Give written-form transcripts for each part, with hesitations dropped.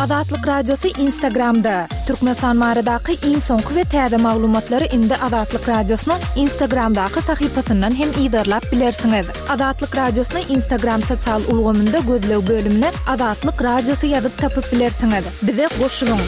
Azatlyk Radiosy Instagramda! Türkmenistan baradaky iň soňky we täze maglumatlary indi Azatlyk Radiosynyň Instagramdaky sahypasyndan hem yzarlap bilersiňiz. Azatlyk Radiosyny Instagram sosial ulgamynda gözleg bölümine Azatlyk Radiosy ýazyp tapyp bilersiňiz. Bize goşulyň!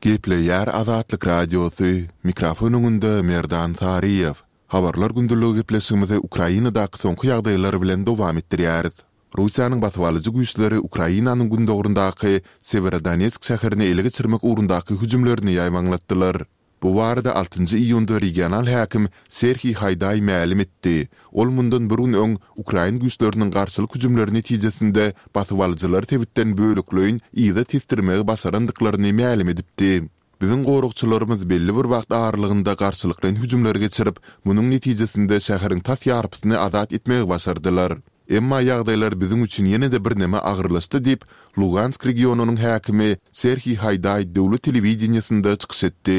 Gepleýär Azatlyk Radiosy, mikrofon öňünde Merdan Saryýew. Habarlar gündeligi gepleşigimizi Ukrainadaky soňky ýagdaýlar bilen dowam etdirýäris. Russiýanyň basybalyjy güýçleri Ukrainanyň gündogaryndaky Sewerodonetsk şäherini ele geçirmek ugrundaky hüjümlerini ýaýbaňlatdylar. Bu barada altynjy iýunda regional häkim Serhiý Haýdaý mälim etdi. Ol mundan bir gün öň ukrain güýçleriniň garşylyk hüjümleri netijesinde basybalyjylary sebitden bölekleýin yza tesdirmegi başarandyklaryny mälim edipdi. Biziň goragçylarymyz belli bir wagt aralygynda garşylyklaýyn hüjümler geçirip, munuň netijesinde şäheriň tas ýarpysyny azat etmegi başardylar. Emma ýagdaýlar biziň üçin ýene-de birneme agyrlaşdy diýip, Lugansk regionynyň häkimi Serhiý Haýdaý döwlet telewideniýesinde çykyş etdi.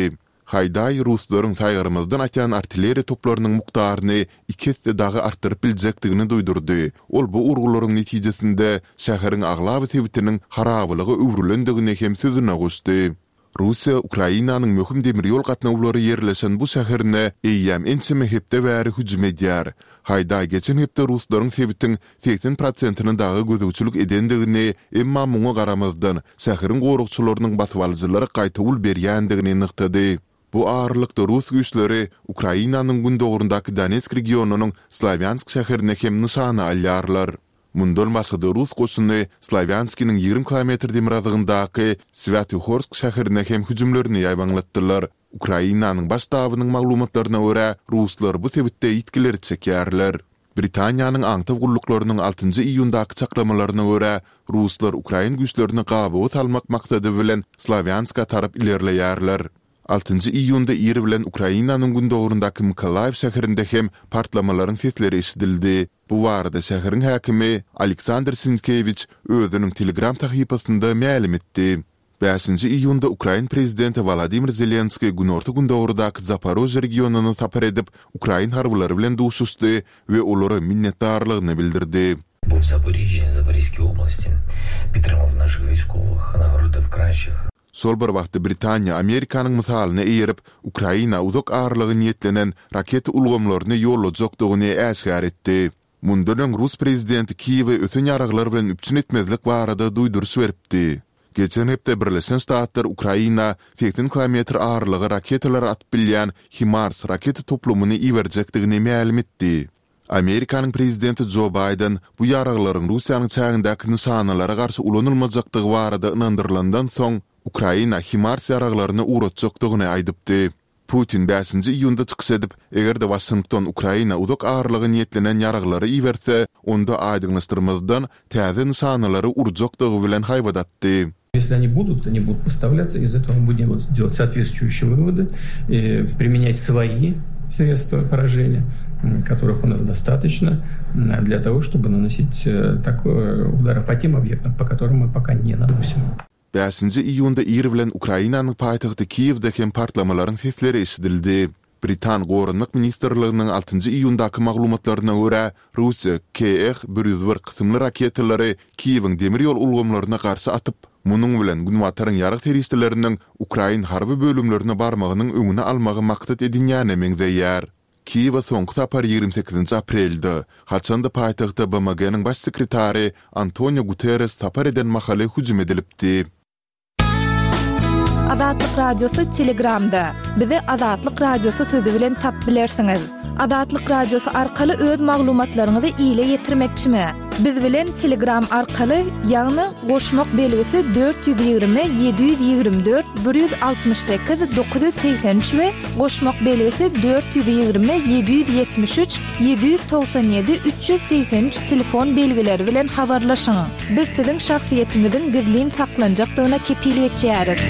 Haýdaý ruslaryň saýgarmazdan atýan artilleriýa toplarynyň mukdaryny iki esse dagy artdyryp biljekdigini duýdurdy. Ol bu urgularyň netijesinde şäheriň aglaba sebitiniň harabalyga öwrülendigini hem sözüne goşdy. Russiýa Ukrainanyň möhüm demir ýol gatnawlary ýerleşen bu şäherine eýýäm ençeme hepde bäri hüjüm edýär. Haýdaý geçen hepde ruslaryň sebitiň 80 prosentini dagy gözegçilik edendigini, emma muňa garamazdan, şäheriň goragçylarynyň basybalyjylara gaýtawul berýändigini nygtady. Bu aralykda rus güýçleri Ukrainanyň gündogaryndaky Donetsk regionynyň Slawýansk şäherini hem nyşana alýarlar. Mundan başga-da rus goşuny Slawýanskiniň 20 kilometr demirgazygyndaky Swýatohorsk şäherine hem hüjümlerini ýaýbaňlatdylar. Ukrainanyň Baş ştabynyň maglumatlaryna görä, ruslar bu sebitde ýitgileri çekýärler. Britaniýanyň aňtaw gulluklarynyň altynjy iýundaky çaklamalaryna görä, ruslar ukrain güýçlerini gabawa salmak maksady bilen Slawýanska tarap ilerleýärler. Altynjy iýunda ir bilen Ukrainanyň gündogaryndaky Mykolaýiw şäherinde hem partlamalaryň sesleri eşidildi. Bu barada şäheriň häkimi Aleksandr Sinkewiç özüniň Telegram sahypasynda mälim etdi. Bäşinji iýunda ukrain prezidenti Wolodymyr Zelenskiý günorta-gündogardaky Zaporožýe regionyna sapar edip, ukrain harbylary bilen duşuşdy we olara minnetdarlygyny bildirdi. Şol bir wagtda Britaniýa Amerikanyň mysalyna eýerip, Ukraina uzak aralyga niýetlenen raketa ulgamlaryny ýollajakdygyny äşgär etdi. Mundan öň rus prezidenti Kiýewi ösen ýaraglar bilen üpjün etmezlik barada duýduryş beripdi. Geçen hepde Birleşen Ştatlar Ukraina 80 kilometr aralyga raketalar atyp bilýän HIMARS raketa toplumyny iberjekdigini mälim etdi. Amerikanyň prezidenti Jo Baýden bu ýaraglaryň Russiýanyň çägindäki nyşanalara garşy ulanylmajakdygy barada ynandyrylandan soň, Ukraina HIMARS ýaraglaryny ugratjakdygyny aýdypdy. Putin bäşinji iýunda çykyş edip, eger-de Waşington Ukraina uzak aralyga niýetlenen ýaraglary iberse, onda aýdyňlaşdyrmazdan täze nyşanalary urjakdygy bilen haýbat atdy. Если они будут, они будут поставляться, из этого мы будем делать соответствующие выводы и применять свои средства поражения, которых у нас достаточно для того, чтобы наносить такой удары по тем объектам, по которым мы пока не наносим. Bäşinji iýunda ir bilen Ukrainanyň paýtagty Kiýewde hem partlamalaryň sesleri eşidildi. Britan Goranmak ministrliginiň altynjy iýundaky maglumatlaryna görä, Russiýa KH 101 kysymly raketalary Kiýewiň demir ýol ulgamlaryna garşy atyp, munuň bilen Günbataryň ýarag serişdeleriniň ukrain harby bölümlerine barmagynyň öňüni almagy maksat edinýäne meňzeýär. Kiýewe soňky sapar 28 aprelde, haçan-da paýtagta BMG-niň Baş sekretary Antonio Guterres sapar eden mahaly hüjüm edilipdi. Azatlyk Radiosy Telegramda. Bizi Azatlyk Radiosy sözi bilen tapyp bilersiňiz. Azatlyk Radiosy arkaly öz maglumatlaryňyzy ile ýetirmekçimi? Biz bilen Telegram arkaly, ýagny goşmak belgisi 420 724 168 983 we goşmak belgisi 420 773 797 383 telefon belgileri bilen habarlaşyň. Biz siziň şahsyýetiňiziň gizlin saklanjakdygyna kepil geçýäris.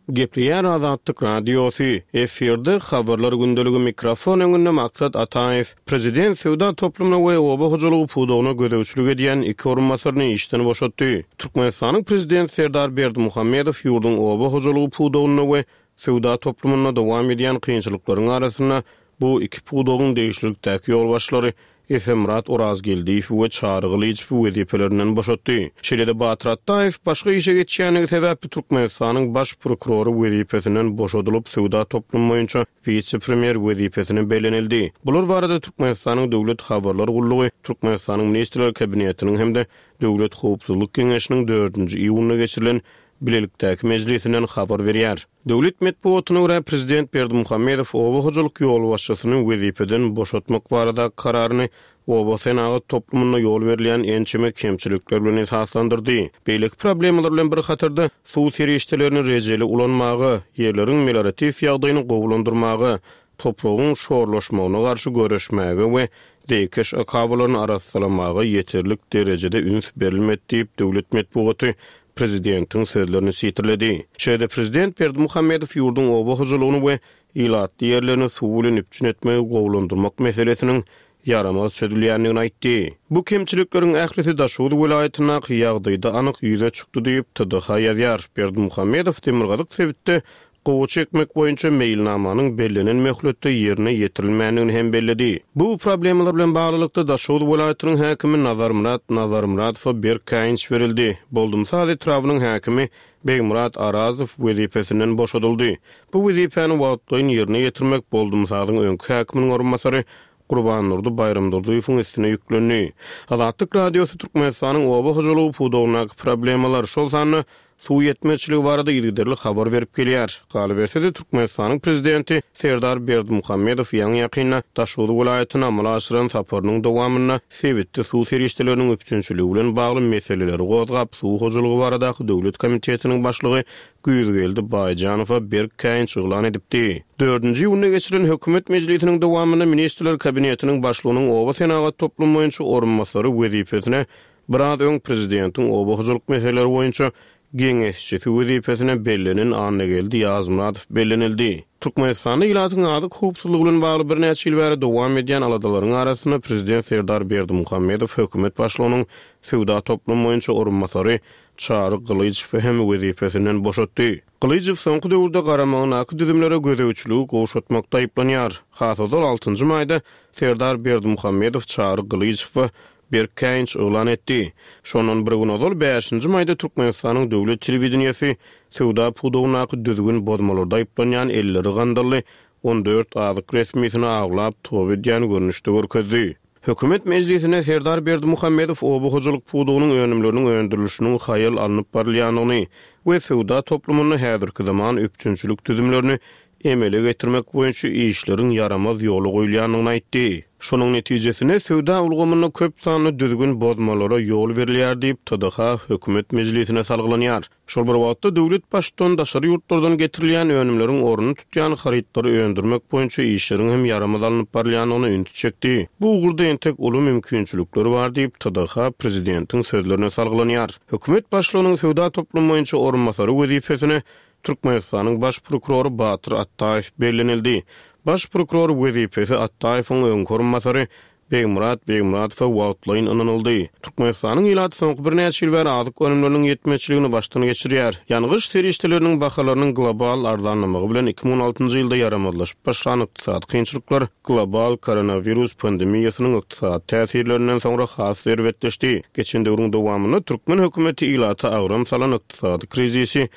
Gepleýär Azatlyk Radiosy, efirde Habarlar gündeligi mikrofon öňünde Maksat Ataýew. Prezident söwda toplumyna we oba hojalygy pudagyna gözegçilik edýän iki orunbasaryny işden boşatdy. Türkmenistanyň Prezidenti Serdar Berdimuhamedow ýurduň oba hojalygy pudagynda we söwda toplumynda dowam edýän kynçylyklaryň arasynda. bu iki pudagyň degişlilikdäki ýolbaşçylary Esenmyrat Orazgeldiýewi we Çary Gylyjowy wezipelerinden boşatdy. Şeýle-de Batyr Atdaýew başga işe geçýändigi sebäpli Türkmenistanyň Baş prokurory wezipesinden boşadylyp, söwda toplumy boýunça wise-premýer wezipesine bellenildi. Bular barada Türkmenistanyň Döwlet habarlar gullugy Türkmenistanyň Ministrler Kabinetiniň hem-de Döwlet howpsuzlyk geňeşiniň dördünji iýunda geçirilen bilelikdäki mejlisinden habar berýär. Döwlet metbugatyna görä, prezident Berdimuhamedow oba hojalyk ýolbaşçysyny wezipeden boşatmak baradaky kararyny oba senagat toplumynda ýol berilýän ençeme kemçilikler bilen esaslandyrdy. Beýleki problemalar bilen bir hatarda, suw serişdelerini rejeli ulanmaga, ýerleriň melioratiw ýagdaýyny gowulandyrmaga, topragyň şorlaşmagyna garşy göreşmäge we zeýkeş akabalaryny arassalamaga ýeterlik derejede üns berilmedi diýip, döwlet metbugaty prezidentiň sözlerini sitirledi. Şeýle-de prezident Berdimuhamedow ýurduň oba hojalygyny we ilatly ýerlerini suw bilen üpjün etmegi gowulandyrmak meselesiniň ýaramaz çözülýändigini aýtdy. Bu kemçilikleriň ählisi Daşoguz welaýatyndaky ýagdaýda anyk ýüze çykdy diýip, TDH ýazýar. Berdimuhamedow demirgazyk sebitde Gowaça ekmek boýunça meýilnamanyň bellenen möhletde ýerine ýetirilmändigini hem belledi. Bu problemalar bilen baglylykda, Daşoguz welaýatynyň häkimi Nazarmyrat Nazarmyradowa berk käýinç berildi. Boldumsaz etrabynyň häkimi Begmyrat Arazow wezipesinden boşadyldy. Bu wezipäni wagtlaýyn ýerine ýetirmek Boldumsazyň öňki häkiminiň orunbasary Gurbandurdy Baýramdurdyýewiň üstüne ýüklendi. Azatlyk Radiosy Türkmenistanyň oba hojalygy pudagyndaky problemalar, şol sanda suw ýetmezçiligi barada yzygiderli habar berip gelýär. Galyberse-de, Türkmenistanyň prezidenti Serdar Berdimuhamedow ýaňy-ýakynda Daşoguz welaýatyna amala aşyran saparynyň dowamynda sebitde suw serişdeleriniň üpjünçiligi bilen bagly meseleleri gozgap, Suw hojalygy baradaky döwlet komitetiniň başlygy Güýzgeldi Baýjanowa berk käýinç yglan edipdi. Dördünji iýunda geçirilen hökümet mejlisiniň dowamynda Ministrler Kabinetiniň Başlygynyň oba senagat toplumy boýunça orunbasary wezipesine biraz öň prezidentiň oba hojalyk meseleleri boýunça geňeşçisi wezipesine bellenen Annageldi Ýazmyradow bellenildi. Türkmenistanda ilatyň azyk howpsuzlygy bilen bagly birnäçe ýyl bäri dowam edýän aladalaryň arasynda prezident Serdar Berdimuhamedow hökümet başlygynyň söwda toplumy boýunça orunbasary Çary Gylyjowy hem wezipesinden boşatdy. Gylyjow soňky döwürde garamagyndaky düzümlere gözegçiligi gowşatmakda aýyplanýar. Has ozal altynjy maýda Serdar Berdimuhamedow Çary Gylyjowa berk käýinç yglan etdi. Şondan bir gün ozal bäşinji maýda Türkmenistanyň döwlet telewideniýesi söwda pudagyndaky düzgün bozmalarda aýyplanýan elleri gandally 14 azyk resmisini aglap toba edýän görnüşde görkezdi. Hökümet mejlisinde Serdar Berdimuhamedow oba hojalyk pudagynyň önümleriniň öndürilişiniň haýal alnyp barylýandygyny we söwda toplumynda häzirki zaman üpjünçilik düzümlerini emele getirmek boýunça işleriň ýaramaz ýola goýulýandygyny aýtdy. Şonuň netijesinde söwda ulgamynda köp sanly düzgün bozmalara ýol berilýär diýip, TDH hökümet mejlisine salgylanýar. Şol bir wagtda, döwlet Baştutany daşary ýurtlardan getirilýän önümleriň ornuny tutýan harytlary öndürmek boýunça işleriň hem ýaramaz alnyp barylýandygyna ünsi çekdi. Bu ugurda entek uly mümkinçilikler bar diýip, TDH prezidentiň sözlerine salgylanýar. Hökümet başlygynyň söwda toplumy boýunça orunbasary wezipesine Türkmenistanyň Baş prokurory Batyr Atdaýew bellenildi. Baş prokuror wezipesi Atdaýewiň öňki orunbasary Begmyrat Begmyradowa wagtlaýyn ynanyldy. Türkmenistanyň ilaty soňky birnäçe ýyl bäri azyk önümleriniň ýetmezçiligini başdan geçirýär. Ýangyç serişdeleriniň bahalarynyň global arzanlamagy bilen 2016-njy ýylda ýaramazlaşyp başlan ykdysady kynçylyklar global koronawirus pandemiýasynyň ykdysady täsirlerinden soňra has erbetleşdi. Geçen döwrüň dowamynda türkmen hökümeti ilata agram salan ykdysady krizisi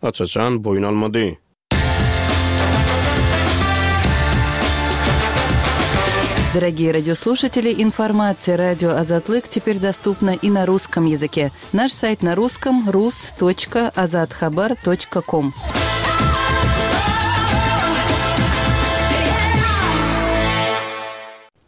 aç-açan boýun almady. Дорогие радиослушатели, информация радио Азатлык теперь доступна и на русском языке. Наш сайт на русском rus.azathabar.com.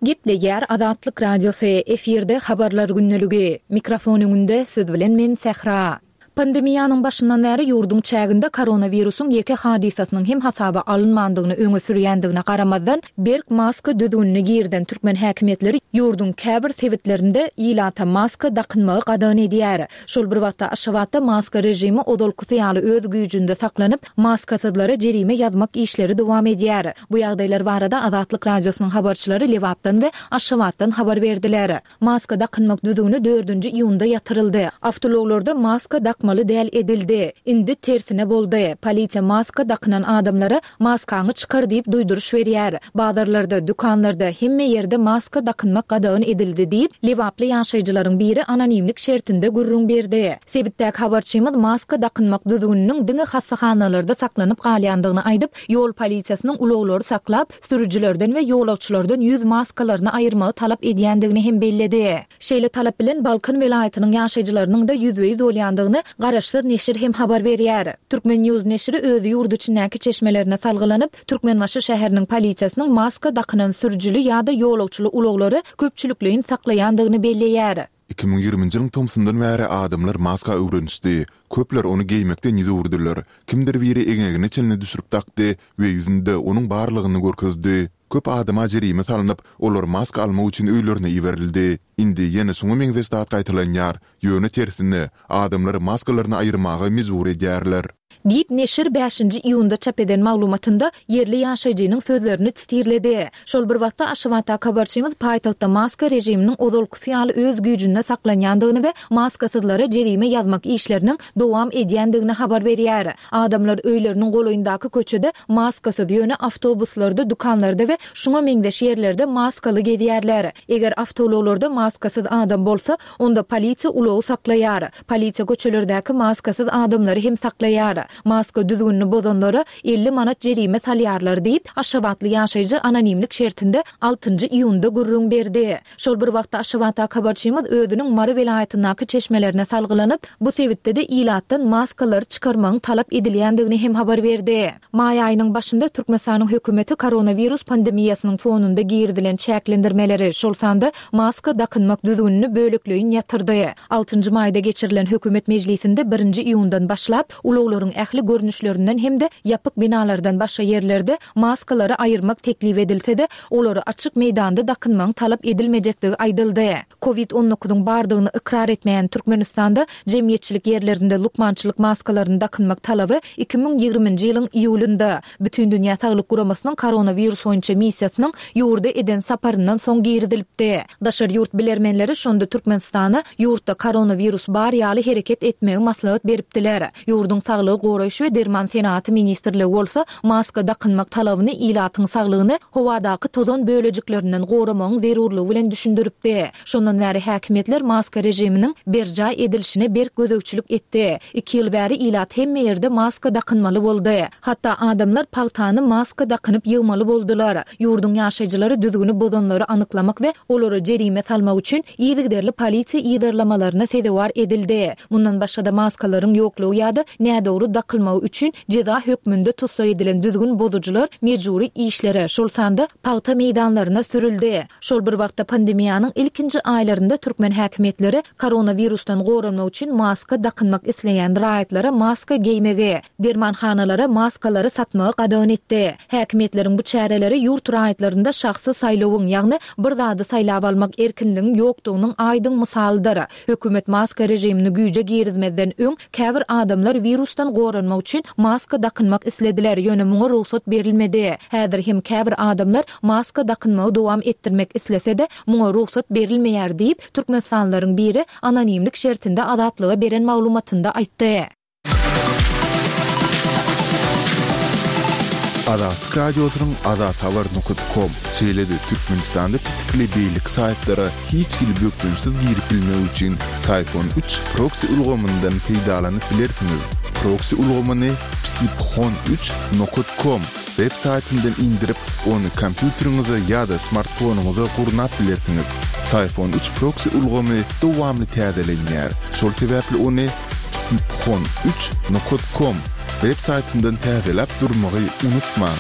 Gepleýär Azatlyk Radiosy, efirde Habarlar gündeligi. Mikrofon öňünde siz bilen men Sähra. Pandemiýanyň başyndan bäri ýurduň çäginde koronawirusyň ýeke hadysasynyň hem hasaba alynmandygyny öňe sürýändigine garamazdan, berk maska düzgünini girizen türkmen häkimiýetleri ýurduň käbir sebitlerinde ilata maska dakynmagy gadagan edýär. Şol bir wagtda, Aşgabatda maska režimi ozalkysy ýaly öz güýjünde saklanyp, maskasyzlara jerime ýazmak işleri dowam edýär. Bu ýagdaýlar barada Azatlyk Radiosynyň habarçylary Lebapdan we Aşgabatdan habar berdiler. Maska dakynmak düzgüni dördünji iýunda ýatyryldy. Awtoulaglarda maska dakmaly. dakmaly däl edildi. Indi tersine boldy. Polisiýa maska dakynan adamlara maskaňy çykar diýip duýduryş berýär. Bazarlarda, dükanlarda, hemme ýerde maska dakynmak gadagan edildi diýip, lebaply ýaşaýjylaryň biri anonimlik şertinde gürrüň berdi. Sebitdäki habarçymyz maska dakynmak düzgüniniň diňe hassahanalarda saklanyp galýandygyny aýdyp, ýol polisiýasynyň ulaglary saklap, sürüjilerden we ýolagçylardan ýüz maskalaryny aýyrmagy talap edýändigini hem belledi. Şeýle talap bilen Balkan welaýatynyň ýaşaýjylarynyň-da ýüzbe-ýüz bolýandygyny garaşsyz neşir hem habar berýär. Turkmen. News neşiri öz ýurt içindäki çeşmelerine salgylanyp, Türkmenbaşy şäheriniň polisiýasynyň maska dakynan sürüjili ýa-da ýolagçyly ulaglary köpçülikleýin saklaýandygyny belleýär. 2020-nji ýylyň tomsundan bäri adamlar maska öwrenişdi. Köpler ony geýmekden ýüz öwürdiler. Kimdir biri eňegine çenli düşürip dakdy we ýüzünde onuň barlygyny görkezdi. Köp adama jerime salnyp, olar maska almak üçin öýlerine iberildi. Indi ýene şuňa meňzeş zat gaýtalanýar, ýöne tersine, adamlary maskalaryny aýyrmaga mejbur edýärler. Diýip, neşir bäşinji iýunda çap eden maglumatynda ýerli ýaşaýjynyň sözlerini sitirledi. Şol bir wagtda, Aşgabatdaky habarçymyz paýtagtda maska režiminiň ozalkysy ýaly öz güýjünde saklanýandygyny we maskasyzlara jerime ýazmak işleriniň dowam edýändigini habar berýär. Adamlar öýleriniň golaýyndaky köçede maskasyz, ýöne awtobuslarda, dükanlarda we şuňa meňzeş ýerlerde maskaly gezýärler. Eger awtoulaglarda maskasyz adam bolsa, onda polisiýa ulagy saklaýar. Polisiýa köçelerdäki maskasyz adamlary hem saklaýar. Maska düzgünini bozanlara 50 manat jerime salýarlar diýip, aşgabatly ýaşaýjy anonimlik şertinde altynjy iýunda gürrüň berdi. Şol bir wagtda, Aşgabatdaky habarçymyz özüniň Mary welaýatyndaky çeşmelerine salgylanyp, bu sebitde-de ilatdan maskalary çykarmagyň talap edilýändigini hem habar berdi. Maý aýynyň başynda Türkmenistanyň hökümeti koronawirus pandemiýasynyň fonunda girizilen çäklendirmeleri, şol sanda maska dakynmak düzgünini bölekleýin ýatyrdy. Altynjy maýda geçirilen hökümet mejlisinde birinji iýundan başlap, ulaglaryň ähli görnüşlerinden hem-de ýapyk binalardan başga ýerlerde maskalary aýyrmak teklip edilse-de, olary açyk meýdanda dakynmagyň talap edilmejekdigi aýdyldy. Covid on dokuzyň bardygyny ykrar etmeýän Türkmenistanda jemgyýetçilik ýerlerinde lukmançylyk maskalaryny dakynmak talaby 2020-nji ýylyň iýulynda, Bütindünýä Saglyk Guramasynyň koronawirus boýunça missiýasynyň ýurda eden saparyndan soň girizilipdi. Daşary ýurt bilermenleri şonda Türkmenistana ýurtda koronawirus bar ýaly hereket etmegi maslahat beripdiler. Ýurduň Saglygy goraýyş we derman senagaty ministrligi bolsa maska dakynmak talabyny ilatyň saglygyny howadaky tozan bölejiklerinden goramagyň zerurlygy bilen düşündiripdi. Şondan bäri häkimiýetler maska režiminiň berjaý edilişine berk gözegçilik etdi. Iki ýyl bäri ilat hemme ýerde maska dakynmaly boldy. Hatda adamlar pagtany maska dakynyp ýygmaly boldular. Ýurduň ýaşaýjylary düzgüni bozanlary anyklamak we olara jerime salmak üçin yzygiderli polisiýa yzarlamalaryna sezewar edildi. Mundan başga-da maskalaryň ýoklugy ýa-da nädogry dakylmagy üçin jeza hökmünde tussag edilen düzgün bozujylar mejbury işlere, şol sanda pagta meýdanlaryna sürüldi. Şol bir wagtda pandemiýanyň ilkinji aýlarynda türkmen häkimiýetleri koronawirusdan goranmak üçin maska dakynmak isleýän raýatlara maska geýmegi, dermanhanalara maskalary satmagy gadagan etdi. Häkimiýetleriň bu çäreleri ýurt raýatlarynda şahsy saýlawyň, ýagny bir zady saýlap almak erkinligiň ýokdugynyň aýdyň mysalydyr. Hökümet maska režimini güýje girizmezden öň, käbir adamlar wirusdan goranmak üçin maska dakynmak islediler, ýöne muňa rugsat berilmedi. Häzir hem käbir adamlar maska dakynmagy dowam etdirmek islese-de, muňa rugsat berilmeýär diýip, türkmenistanlylaryň biri anonimlik şertinde Azatlyga beren maglumatynda aýtdy. Azatlyk Radiosynyň Azathabar nokat kom, şeýle-de Türkmenistanda petikli beýleki saýtlara hiç hili bökdençsiz girip bilmek üçin Syfon üç proksi ulgamyndan peýdalanyp bilersiňiz. Proksi ulgamyny psiphon üç nokat kom web saýtyndan indirip, ony kompýuteriňize ýa-da smartfonyňyza gurnap bilersiňiz. Syfon üç proksi ulgamy dowamly täzelenýär, şol sebäpli ony psiphon üç nokat kom web saýtyndan täzeläp durmagy unutmaň.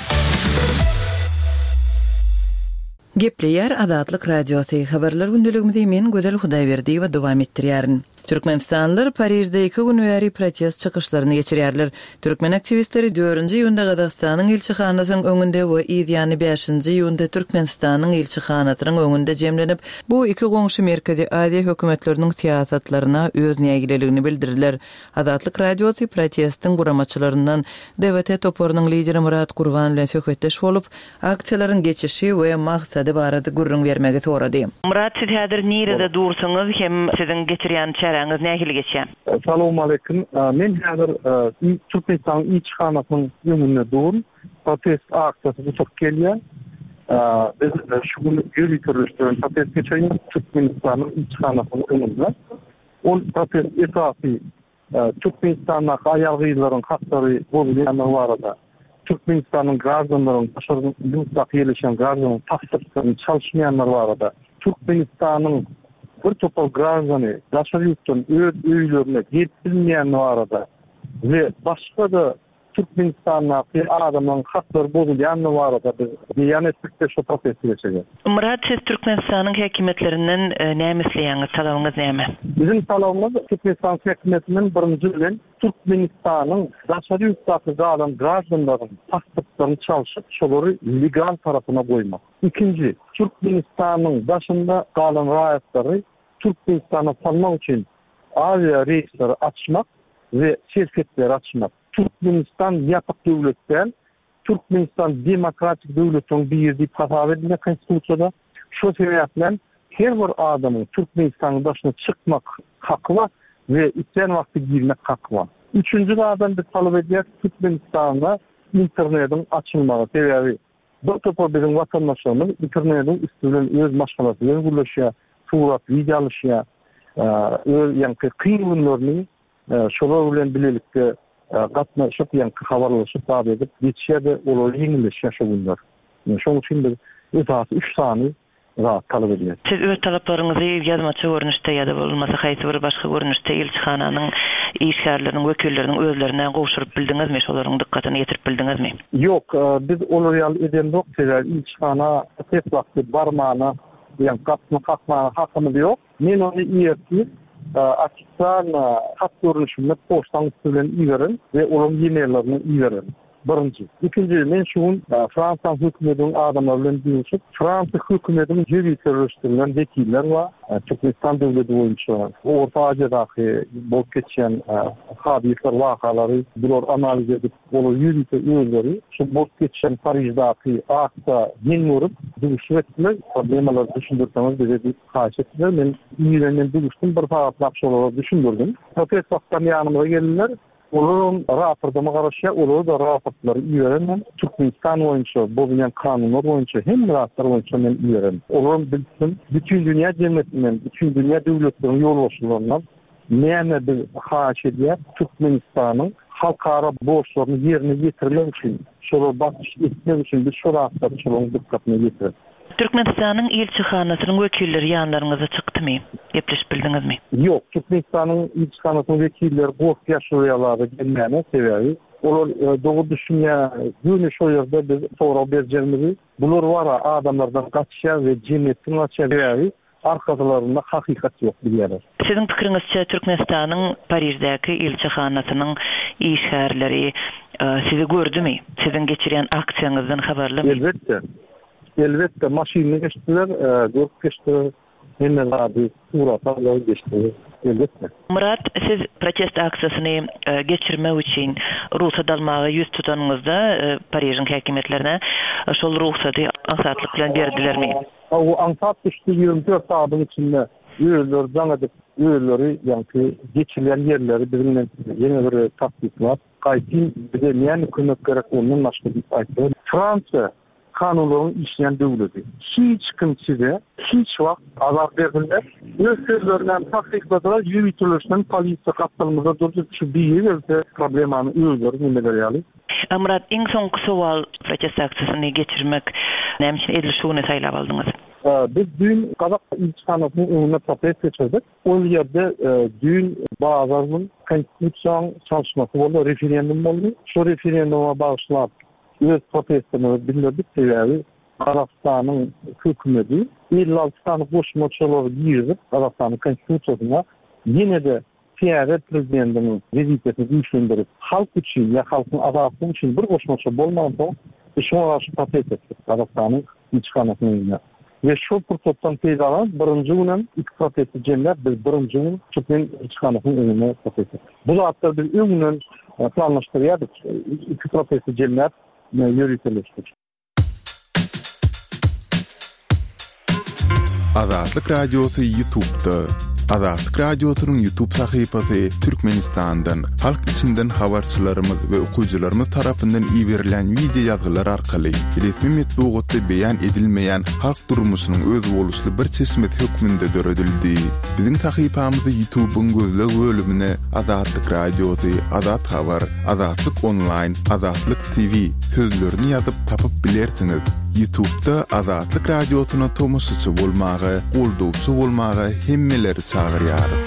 Gepleýär Azatlyk Radiosy, Habarlar gündeligimizi men Gözel Hudaýberdiýewa dowam etdirýärin. Türkmenistanlylar Parižde iki gün bäri protest çykyşlaryny geçirýärler. Türkmen aktiwistleri dördünji iýunda Gazagystanyň ilçihanasynyň öňünde we yz ýany bäşinji iýunda Türkmenistanyň ilçihanasynyň öňünde jemlenip, bu iki goňşy Merkezi Aziýa hökümetleriniň syýasatlaryna öz nägileligini bildirdiler. Azatlyk Radiosy protestiň guramaçylaryndan DWT toparynyň lideri Myrat Gurban bilen söhbetdeş bolup, aksiýalaryň geçişi we maksady barada gürrüň bermegi sorady. Myrat siz häzir nirede dursuňyz hem siziň geçirýän çäreleriniz. Çäräňiz nähili geçýär? Salowmaleýkim. Men häzir Türkmenistanyň ilçihanasynyň öňünde durun. Protest aksiýasy gutaryp gelýär. Biz şu gün ýöriteleşdirilen protest geçirýäris Türkmenistanyň ilçihanasynyň öňünde. Ol protest esasy Türkmenistandaky aýal-gyzlaryň haklary bozulýandygy barada, Türkmenistanyň graždanlaryň daşary ýurtdaky ýerleşýän graždanlaryň pasportlaryny çalyşmaýanlary barada, Türkmenistanyň bir topar graždany daşary ýurtdan öz öýlerine gelip bilmeýäni barada we başga-da Türkmenistandaky adamlaryň haklary bozulýandygy barada biz beýan etdik we şo protesti geçirýäs. Myrat siz Türkmenistanyň häkimiýetlerinden näme isleýäňiz, talabyňyz näme? Biziň talabymyz Türkmenistanyň häkimiýetinden birinji bilen Türkmenistanyň daşary ýurtdaky galan graždanlaryň pasportlaryny çalşyp şolary legal tarapyna goýmak. Ikinji, Türkmenistanyň daşynda galan raýatlary Türkmenistana salmak üçin awia reýsleri açmak we serhetleri açmak. Türkmenistan ýapyk döwlet däl. Türkmenistan demokratik döwletleriň biri diýip hasap edilýär Konstitusiýada. Şo sebäplen her bir adamyň Türkmenistanyň daşyna çykmak haky bar we islän wagty girmek haky bar. Üçünji zadam biz talap edýäris Türkmenistanda internediň açylmagy. Sebäbi bir topar biziň watandaşlarymyz internediň üsti bilen öz maşgalasy bilen gürleşýär, surat, wideo alyşýar. Öz ýaňky kyn günlerini Şolar bilen bilelikde gatnaşyp, ýaňky habarlaşyp zat edip geçýär-de, olara ýeňilleşýär şo günler. Şonuň üçin biz esasy üç sany zat talap edýäris. Siz öz talaplaryňyzy ýazmaça görnüşde ýa-da bolmasa haýsy bir başga görnüşde ilçihananyň işgärleriniň, wekilleriniň özlerine gowşuryp bildiňizmi, şolaryň dykgatyna ýetirip bildiňizmi? Ýok, biz olar ýaly edemzok, sebäbi ilçihana ses wagty barmana, ýa gapysyny kakmana hakymyz ýok. Men ony ertir ofisialno hat görnüşinde poçtaň üsti bilen ibererin we olaryň e-maillerine ibererin. Birinji. Ikinji, men şu gün Fransiýanyň hökümetiniň adamlary bilen duşup, Fransiýa hökümetiniň ýöriteleşdirilen wekiller bar, Türkmenistan döwleti boýunça Orta Aziýadaky bolup geçýän hadyslar, wakalary bular analiz edip, Olar ýörite özleri şu bolup geçen Pariždaky aksiýa geň görüp, duşuşyk etdiler. Problemalary düşündirseňiz bize diýip haýyş etdiler. Men irenden duşdum, bir sagatlap şolara düşündirdim. Protest wagtlam ýanymyza geldiler. Olaram raportama garaşýar. Olara-da raportlary iberen men. Türkmenistan boýunça bozulýan kanunlar boýunça hemme zatlar boýunça men iberen. Olaram bilsin, bütindünýä jemgyýetinden, bütindünýä döwletleriniň ýolbaşçylaryndan Näme biz haýyş edýäs, Türkmenistanyň halkara borçlaryny ýerine ýetirmek üçin, şolara basyş etmek üçin biz şo zatlary şolaryň dykgatyna ýetireris. Türkmenistanyň ilçihanasynyň wekilleri ýanlaryňyza çykdymy? Gepleşip bildiňizmi? Ýok, Türkmenistanyň ilçihanasynyň wekilleri gorkýar şol ýalara gelmäne, sebäbi olar dogry düşünýär, göni şo ýerde biz sorag berjegimizi. Bular wara adamlardan gaçýar we jemgyýetden gaçýar, sebäbi Arkalarynda hakykat ýok bilýärler. Siziň pikiriňizçe Türkmenistanyň Pariždäki ilçihanasynyň işgärleri sizi gördümi? Siziň geçirýän aksiýaňyzdan habarlymy? Elbetde. Elbetde maşynda geçdiler, görüp geçdiler, hemme zady surata aldylar geçdiler. Elbetde. Myrat, siz protest aksiýasyny geçirmek üçin rugsat almaga ýüz tutanyňyzda Parižiň häkimiýetlerine şol rugsady aňsatlyk bilen berdilermi? Hawa, aňsat düşdi, 24 sagadyň içinde özleri jaň edip, özleri ýaňky geçilýän ýerleri biziň bilen ýene bir gezek tassyklap, gaýtyn bize näme kömek gerek ondan başga diýip aýtdylar. Fransiýa kanunlaryň işleýän döwleti. Hiç kim size hiç wagt azar berbilmez. Öz sözlerini hem tassykladylar, ýöriteleşen polisiýa gapdalymyzda durdy, şu biri gelse problemany özleri nemeler ýaly. Myrat, iň soňky sowal, protest aksiýasyny geçirmek näme üçin edil şu güni saýlap aldyňyz? Biz düýn gazak ilçihanasynyň öňünde protest geçirdik. Ol ýerde düýn bazar gün konstitusiýanyň çalyşmasy boldy, referendum boldy. Şo referenduma bagyşlap öz protestimizi bildirdik, sebäbi Gazagystanyň hökümeti 56 sany goşmaçalary girizip Gazagystanyň konstitusiýasyna ýene-de täze prezidentiň wezipesini güýçlendirip, halk üçin ýa halkyň azatlygy üçin bir goşmaça bolmansoň, biz şoňa garşy protest etdik Gazagystanyň ilçihanasynyň öňünde. We şol pursatdan peýdalanyp, birinji günem iki protesti jemläp, biz birinji gün türkmen ilçihanasynyň öňünde protest etdik. Bu zatlary biz öňünden planlaşdyrýardyk, iki protesti jemläp ýöriteleşdik. Azatlyk Radiosy YouTube'da. Azatlyk Radiosynyň YouTube sahypasy Türkmenistandan, halk içinden habarçylarymyz we okyjylarymyz tarapyndan iberilýän wideo ýazgylar arkaly resmi metbugatda beýan edilmeýän halk durmuşynyň özboluşly bir çeşmesi hökmünde döredildi. Biziň sahypamyzy YouTube-yň gözleg bölümine Azatlyk Radiosy, Azat Habar, Azatlyk Onlaýn, Azatlyk TV sözlerini ýazyp tapyp bilersiňiz. Ýutubda Azatlyk Radiosyna tomaşaçy bolmaga, goldawçy bolmaga hemmeleri çagyrýarys.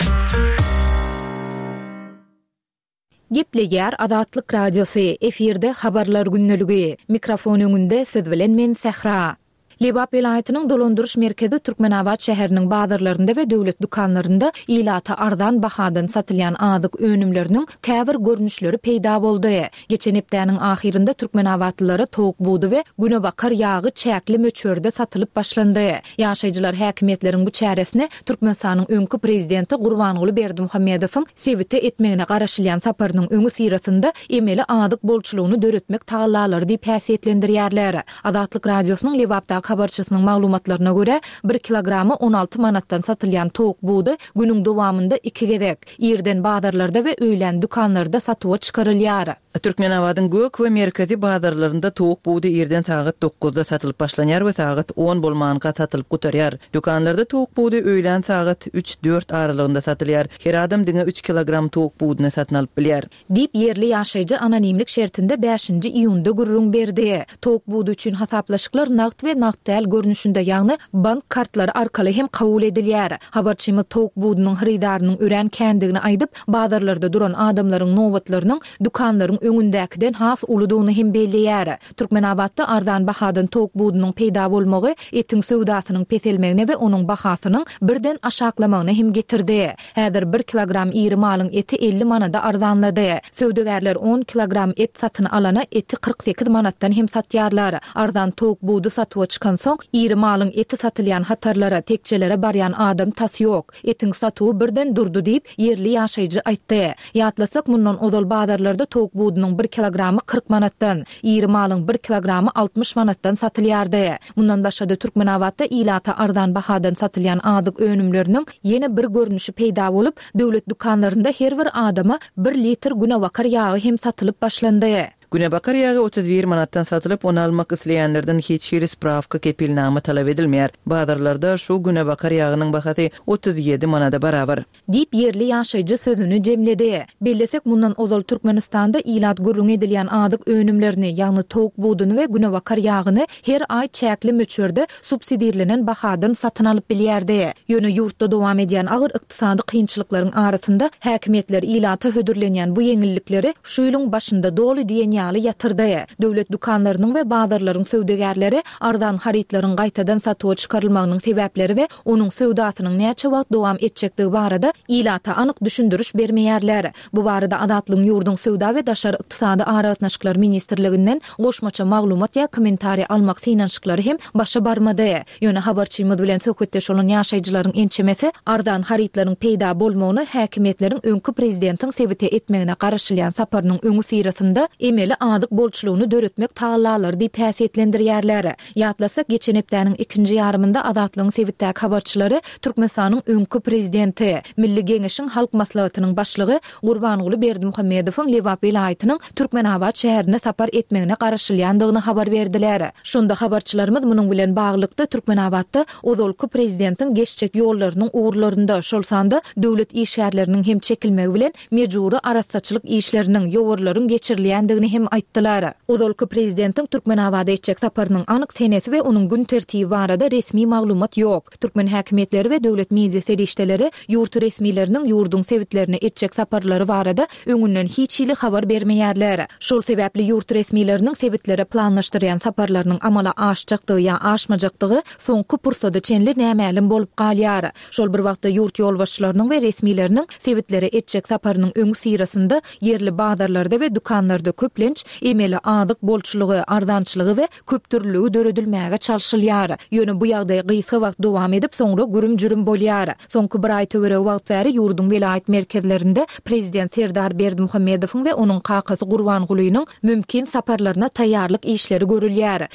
Gepleýär Azatlyk Radiosy, efirde Habarlar gündeligi. Mikrofon öňünde siz bilen men Sähra. Lebap welaýatynyň dolandyryş merkezi Türkmenabat şäheriniň bazarlarynda we döwlet dükanlarynda ilata arzan bahadan satylýan azyk önümleriniň käbir görnüşleri peýda boldy. Geçen hepdäniň ahyrynda türkmenabatlylara towuk budy we günebakar ýagy çäkli möçberde satylyp başlandy. Ýaşaýjylar häkimiýetleriň bu çäresini Türkmenistanyň öňki prezidenti Gurbanguly Berdimuhamedowyň sebite etmegine garaşylýan saparynyň öňüsyrasynda emeli azyk bolçulygyny döretmek tagallalary diýip häsiýetlendirýärler. Azatlyk Radiosynyň Lebapdaky habarçysynyň maglumatlaryna görä, bir kilogramy 16 manatdan satylýan towuk budy günüň dowamynda iki gezek, irden bazarlarda we öýlän dükanlarda satuwa çykarylýar. Türkmenabadyň gök we merkezi bazarlarynda towuk budy irden sagat dokuzda satylyp başlanýar we sagat on bolmanka satylyp gutarýar. Dükanlarda towuk budy öýlän sagat üç-dört aralygynda satylýar. Her adam diňe üç kilogram towuk buduny satyn alyp bilýär. Diýip, ýerli ýaşaýjy anonimlik şertinde bäşinji iýunda gürrüň berdi. Towuk budy üçin hasaplaşyklar nagt we nagt däl görnüşinde, ýagny bank kartlary arkaly hem kabul edilýär. Habarçymyz towuk budunyň hyrydarynyň örän kändigini aýdyp, bazarlarda duran adamlaryň nobatlarynyň dükanlaryň öňündäkiden has uludygyny hem belleýär. Türkmenabatda arzan bahadan towuk budunyň peýda bolmagy etiň söwdasynyň peselmegine we onuň bahasynyň birden aşaklamagyna hem getirdi. Häzir bir kilogram iri malyň eti 50 manada arzanlady. Söwdagärler on kilogram et satyn alana eti 48 manatdan hem satýarlar. Arzan towuk budy satuwa çykansoň, iri malyň eti satylýan hatarlara, tekjelere barýan adam tas ýok. Etiň satuwy birden durdy diýip, ýerli ýaşaýjy aýtdy. Ýatlasak, mundan ozal bazarlarda towuk budunyň bir kilogramy 40 manatdan, iri malyň bir kilogramy 60 manatdan satylýardy. Mundan başga-da, Türkmenabatda ilata arzan bahadan satylýan azyk önümleriniň ýene bir görnüşi peýda bolup, döwlet dükanlarynda her bir adama bir litr günebakar ýagy hem satylyp başlandy. Günebakar ýagy 31 manatdan satylyp, ony almak isleýänlerden hiç hili sprawka, kepilnama talap edilmeýär. Bazarlarda şu günebakar ýagynyň bahasy 37 manada barabar. Diýip, ýerli ýaşaýjy sözüni jemledi. Bellesek, mundan ozal Türkmenistanda ilat gürrüňi edilýän azyk önümlerini, ýagny towuk buduny we günebakar ýagyny her aý çäkli möçberde subsidirlenen bahadan satyn alyp bilýärdi. Ýöne ýurtda dowam edýän agyr ykdysady kynçylyklaryň arasynda häkimiýetler ilata hödürlenýän bu ýeňillikleri şu ýylyň başynda doly diýen ýaly ýatyrdy. Döwlet dükanlarynyň we bazarlaryň söwdagärleri arzan harytlaryň gaýtadan satuwa çykarylmagynyň sebäpleri we onuň söwdasynyň näçe wagt dowam etjekdigi barada ilata anyk düşündiriş bermeýärler. Bu barada Azatlygyň ýurduň Söwda we daşary ykdysady aragatnaşyklar ministrliginden goşmaça maglumat ýa kommentariý almak synanyşyklary hem başa barmady. Ýöne habarçymyz bilen söhbetdeş bolan ýaşaýjylaryň ençemesi arzan harytlaryň peýda bolmagyny häkimiýetleriň öňki prezidentiň sebite etmegine garaşylýan saparynyň öňüsyrasynda emeli azyk bolçulygyny döretmek tagallalary diýip häsiýetlendirýärler. Ýatlasak, geçen hepdäniň ikinji ýarymynda Azatlygyň sebitdäki habarçylary Türkmenistanyň öňki prezidenti, Milli Geňeşiň Halk Maslahatynyň Başlygy Gurbanguly Berdimuhamedowyň Lebap welaýatynyň Türkmenabat şäherine sapar etmegine garaşylýandygyny habar berdiler. Şonda habarçylarymyz munuň bilen baglylykda Türkmenabatda ozalky prezidentiň geçjek ýollarynyň ugurlarynda, şol sanda döwlet işgärleriniň hem çekilmegi bilen mejbury arassaçylyk işleriniň, ýowarlaryň geçirilýändigini hem aýtdylar. Ozalky prezidentiň Türkmenabada etjek saparynyň anyk senesi we onuň gün tertibi barada resmi maglumat ýok. Türkmen häkimiýetleri we döwlet media serişdeleri ýurt resmileriniň ýurduň sebitlerine etjek saparlary barada öňünden hiç hili habar bermeýärler. Şol sebäpli ýurt resmileriniň sebitlere planlaşdyrýan saparlarynyň amala aşjakdygy ýa aşmajakdygy soňky pursada çenli nämälim bolup galýar. Şol bir wagtda ýurt ýolbaşçylarynyň we resmileriniň sebitlere etjek saparynyň öňüsyrasynda ýerli bazarlarda we dükanlarda köplenç emeli azyk bolçulygy, arzançylygy we köpdürlüligi döredilmäge çalşylýar. Ýöne bu ýagdaý gysga wagt dowam edip, soňra gürüm-jürüm bolýar. Soňky bir aý töweregi wagt bäri ýurduň welaýat merkezlerinde prezident Serdar Berdimuhamedowyň we onuň kakasy Gurbangulynyň mümkin saparlaryna taýýarlyk işleri görülýär.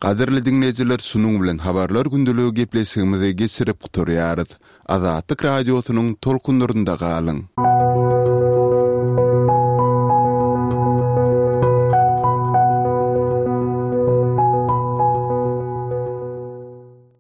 Gadyrly diňleýjiler şunuň bilen Habarlar gündeligi gepleşigimizi geçirip gutarýarys. Azatlyk Radiosynyň tolkunlarynda galyň!